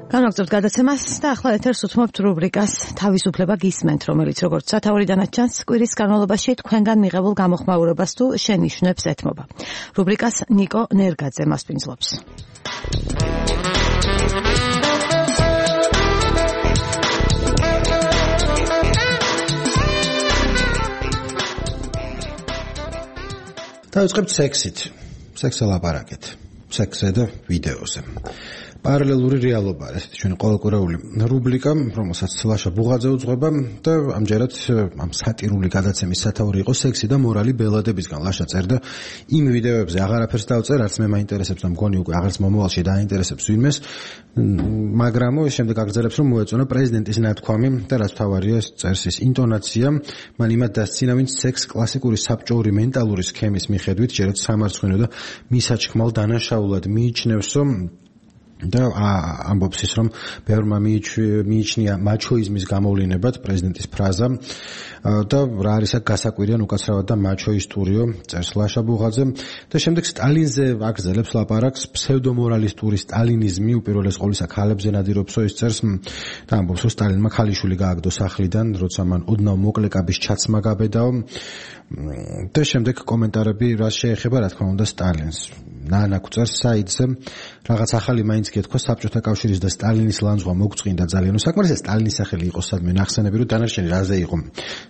განვაგრძობთ გადაცემას და ახლა ეთერს უთმობთ რუბრიკას თავისუფლება გისმენთ, რომელიც როგორც სათაურიდანაც ჩანს, კვირის განმავლობაში თქვენგან მიღებულ გამოხმაურებას თუ შენიშვნებს ეთმობა. რუბრიკას ნიკო ნერგაძე მასპინძლობს. დავიწყებთ სექსით. სექსზე ლაპარაკეთ. სექსზე და ვიდეოზე. პარალელური რეალობა, ესეთი ჩვენი ყოველკვირეული რუბრიკა, რომელსაც ლაშა ბუღაძე უძღვება და ამჯერად ამ სატირული გადაცემის სათაური იყო სექსი და მორალი ბელადებისგან. ლაშა წერდა იმ ვიდეოებზე აღარაფერს დავწერ, არც მე მაინტერესებს და მგონი უკვე აღარც მომავალში დაინტერესებს ვინმეს, მაგრამ შემდეგ აგრძელებს რომ მოეწონა პრეზიდენტის ნათქვამი და რაც თავარია წერს ის ინტონაცია, მან იმად დასცინა, ვინც სექს კლასიკური საბჭოური მენტალური სქემის მიხედვით ჯერაც სამარცხვინო და მისაჩქმალ დანაშაულად მიიჩნევს, და ამბობს ის, რომ ბევრმა მიიჩნია მაჩოიზმის გამოვლინებად პრეზიდენტის ფრაზა და რა არის აქ გასაკვირიან უკაცრავად და მაჩოისტურიო, წერს ლაშა ბუღაძე და შემდეგ სტალინზე აგრძელებს ლაპარაკს, ფსევდომორალისტური სტალინიზმი უპირველეს ყოვლისა ქალებზე ნადირობსო, ის წერს და ამბობს, რომ სტალინმა ქალიშვილი გააგდო სახლიდან, როცა მან ოდნავ მოკლე კაბის ჩაცმა გაბედაო და შემდეგ კომენტარები რაც შეეხება რა თქმა უნდა სტალინს. ნანაკ წერს საიტზე რაღაც ახალი მაინც გეთქვა საბჭოთა კავშირის და სტალინის ლანძღვა მოგწყინდა ძალიან. საკმარისია სტალინის სახელი იყოს სადმე ნახსენები, რომ დანარჩენი რაზე იყო.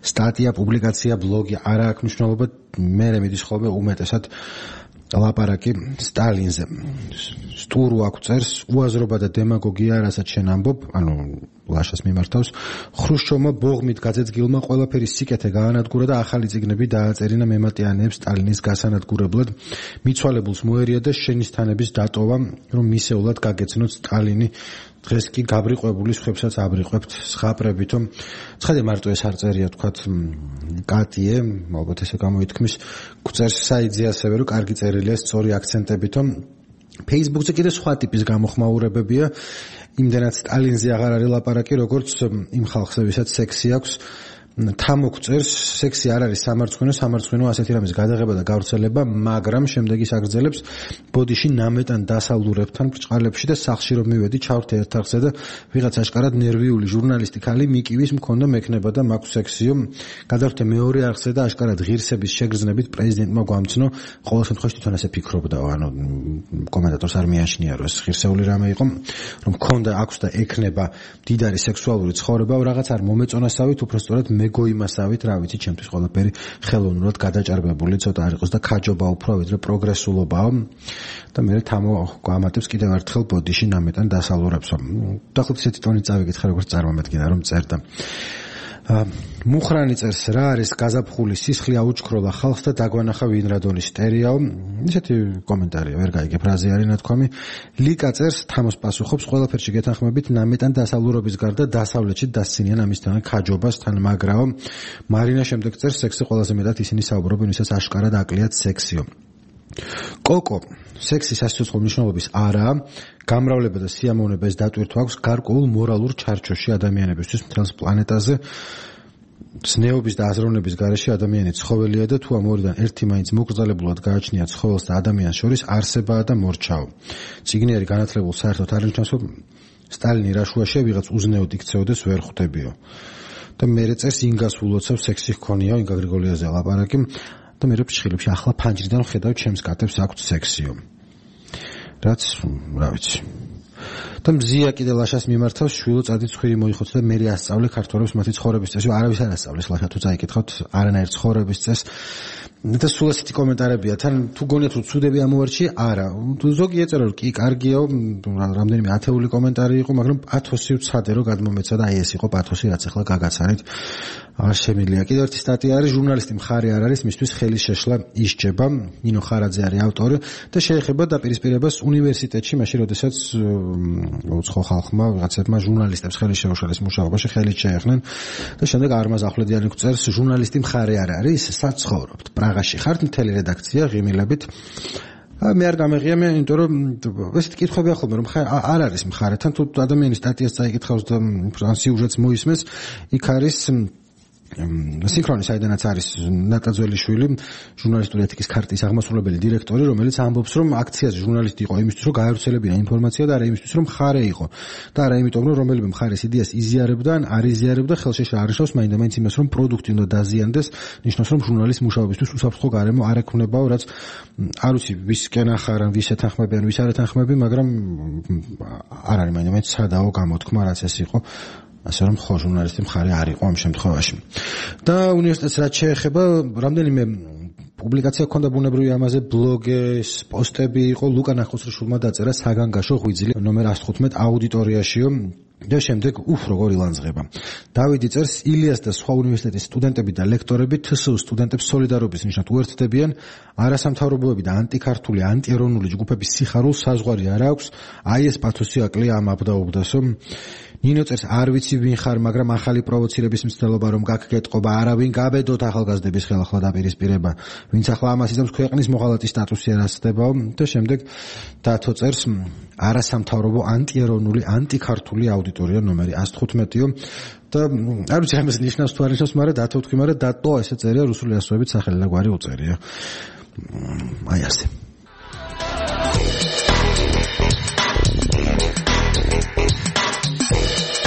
სტატია, პუბლიკაცია, ბლოგი არა აქვს მნიშვნელობა, მე მიდის ხოლმე უმეტესად ლაპარაკი სტალინზე. სტურუ აქ წერს, უაზრობა და დემაგოგია რასაც შენ ამბობ, ანუ ლაშას მიმართავს, ხრუშჩოვმა ბოღმით გაძეძგილმა ყველაფერი სიკეთე გაანადგურა და ახალი წიგნები დააწერინა მემატიანეებს სტალინის გასანადგურებლად. მიცვალებულს მოერია და შენიშთანების დატოვა, რომ მისეულად გაგეცნოთ სტალინი. დღეს კი გაბრიყვებული სხვებსაც აბრიყვებთ სხაპრებითო. ცხადია მარტო ეს არ წერია თქვათ კატიე, ალბათ ესე გამოითქმის, გვწერს საიტზე ასევე, რომ კარგი წერილია სწორი აქცენტებითო. Facebook-ზე კიდე სხვა ტიპის გამოხმაურებებია. იმდენად სტალინზე აღარ არის ლაპარაკი, როგორც იმ ხალხზე, ვისაც სექსი აქვს. თამოკ წერს, სექსი არ არის სამარცხვინო ასეთი რამის გადაღება და გავრცელება, მაგრამ შემდეგ ის აგრძელებს ბოდიში ნამეტან დასალურებთან ბრჭყალებში და სახლში რომ მივედი, ჩავრთე ერთ არხზე და ვიღაც აშკარად ნერვიული ჟურნალისტი ქალი მიკივის მქონდა მექნება და მაქვს სექსიო. გადავრთე მეორე არხზე და აშკარად ღირსების შეგრძნებით პრეზიდენტმა გვამცნო, ყოველ შემთხვევაში თვითონ ასე ფიქრობდა, ანუ კომენტატორს არ მიაშნია, რომ ეს ღირსეული რამე იყო, რომ მქონდა აქვს და ექნება მდიდარი სექსუალური ცხოვრება, რაღაც არ მომეწონასავით, უბრალოდ მეგოიმასავით, რა ვიცი, ჩემთვის ყველაფერი ხელოვნურად გადაჭარბებული ცოტა არ იყოს და ქაჯობა უფრო ვიდრე პროგრესულობაა და მე თამო ამატებს კიდევ ერთხელ ბოდიში ნამეტან დასალურებსო. დაახლოებით ესეთი ტონით წავიკითხე, როგორც წარმომედგინა, რომ წერდა. მუხრანი წერს, რა არის გაზაფხული სისხლი აუჩქროლა ხალხს და დაგვანახა ვინ რადონის სტერეაო. ისეთი კომენტარია, ვერ გაიგე ფრაზე არის ნათქვამი. ლიკა წერს, თამოს პასუხობს, ყველაფერში გეთანხმებით ნამეტან დასალურობის გარდა დასავლეთში დასცინიან ამისთან ქაჯობას თან მაგრაო. მარინა შემდეგ წერს, სექსი ყველაზე მეტად ისინი საუბრობენ, ვისაც აშკარად აკლიათ სექსიო. კოკო, სექსი სასიცოცხლო მნიშვნელობის არაა, გამრავლება და სიამოვნება ეს დატვირთვა აქვს გარკვეულ მორალურ ჩარჩოში ადამიანებისთვის მთელს პლანეტაზე. ზნეობის და აზროვნების გარეშე ადამიანი ცხოველია და თუ ამ ორიდან ერთი მაინც მოკრძალებულად გააჩნია ცხოველს და ადამიანს შორის არსებაა და მორჩაო. წიგნიერი განათლებულ საერთოდ არ ნიშნავს, რომ სტალინი რაშუაშია ვიღაც უზნეოდ იქცეოდეს ვერ ხვდებიო. და მერე წერს ინგას ულოცავს სექსი ჰქონიაო, ინგა გრიგოლიაზე ლაპარაკი. და მე ფრჩხილებში ახლა ფანჯრიდან ხედავ ჩემს კატებს აქვთ სექსიო. რაც რა ვიცი. და მზია კიდე ლაშას მიმართავს, შვილო წადი ცხვირი მოიხოც და მე ასწავლე ქართველებს მათი ცხოვრების წესი. არავის არ ასწავლეს ლაშა, თუ წაიკითხავთ არანაირ ცხოვრების წესს. და სულ ასეთი კომენტარებია, თან თუ გონიათ რომ ცუდები ამოვარჩი, არა. ზოგი ეწერა რომ კი კარგია, რამდენიმე ათეული კომენტარი იყო, მაგრამ პათოსი ვცადე რომ გადმომეცა და აი ეს იყო პათოსი, რაც ახლა გაგაცანით. არ შემიძლია. კიდევ ერთი სტატია არის, ჟურნალისტი მხარე არ არის, მისთვის ხელის შეშლა ისჯება. ნინო ხარაძე არის ავტორი და შეეხება დაპირისპირებას უნივერსიტეტში, მაშინ როდესაც უცხო ხალხმა ვიღაცებმა ჟურნალისტებს ხელის შეუშალეს მუშაობაში, ხელით შეეხნენ და შემდეგ არმაზ ახვლედიანი წერს, ჟურნალისტი მხარე არ არის, საცხოვრობთ. პრაღაში ხართ, მთელი რედაქცია ღიმილებით. მე არ გამეღია, იმიტომ რომ ესეთი კითხვები ახლა რომ არ არის მხარეთან, თუ ადამიანის სტატიას წაიკითხავს და სიუჟეტს მოისმენს, იქ არის სინქრონი საიდანაც არის ნატაძველიშვილი, ჟურნალისტური ეთიკის ქარტის აღმასრულებელი დირექტორი, რომელიც ამბობს, რომ აქციაზე ჟურნალისტი იყო იმისთვის, რომ გაევრცელებინა ინფორმაცია და არა იმისთვის, რომ მხარე იყო. და არა იმიტომ, რომ რომელიმე მხარის იდეას იზიარებდა ან არ იზიარებდა, ხელში არიშავს მაინდა-მაინც იმას, რომ პროდუქტი უნდა დაზიანდეს, ნიშნავს, რომ ჟურნალის მუშაობისთვის უსაფრთხო გარემო არ ექნებაო, რაც არ ვიცი, ვისკენ ახარან, ვის ეთანხმებიან, ვის არ ეთანხმებიან, მაგრამ არ არის მაინდა-მაინც სადაო გამოთქმა, რაც ეს იყო. ასე რომ ხო ჟურნალისტი მხარე არ იყო ამ შემთხვევაში. და უნივერსიტეტს რაც შეეხება, რამდენიმე პუბლიკაცია ჰქონდა ბუნებრივია ამაზე, ბლოგის, პოსტები იყო, ლუკა ნახუცრიშვილმა დაწერა საგანგაშო ღვიძლი ნომერ 115 აუდიტორიაშიო და შემდეგ როგორ ილანძღება. დავიდი წერს, ილიას და სხვა უნივერსიტეტის სტუდენტები და ლექტორები თსუ სტუდენტებს სოლიდარობის ნიშნად უერთდებიან, არასამთავრობოები და ანტიქართული, ანტიეროვნული ჯგუფების სიხარულს საზღვარი არ აქვს, აი ეს პათოსი აკლია ამ აბდაუბდასო. ნინო წერს, არ ვიცი ვინ ხარ, მაგრამ ახალი პროვოცირების მცდელობა რომ გაგკეტყობა, არავინ გაბედოთ ახალგაზრდების ხელახლა დაპირისპირება, ვინც ახლა ამას იზამს ქვეყნის მოღალატის სტატუსი არ ასწდებაო და შემდეგ დათო წერს, არასამთავრობო, ანტიეროვნული, ანტიქართული აუდიტორია ნომერი 115-ო და არ ვიცი ამას ნიშნავს თუ არ ნიშნავს, მაგრამ დათო თქვი, მაგრამ დატო ესე წერია რუსული ასოებით სახელი და გვარი უწერია. აი ასე.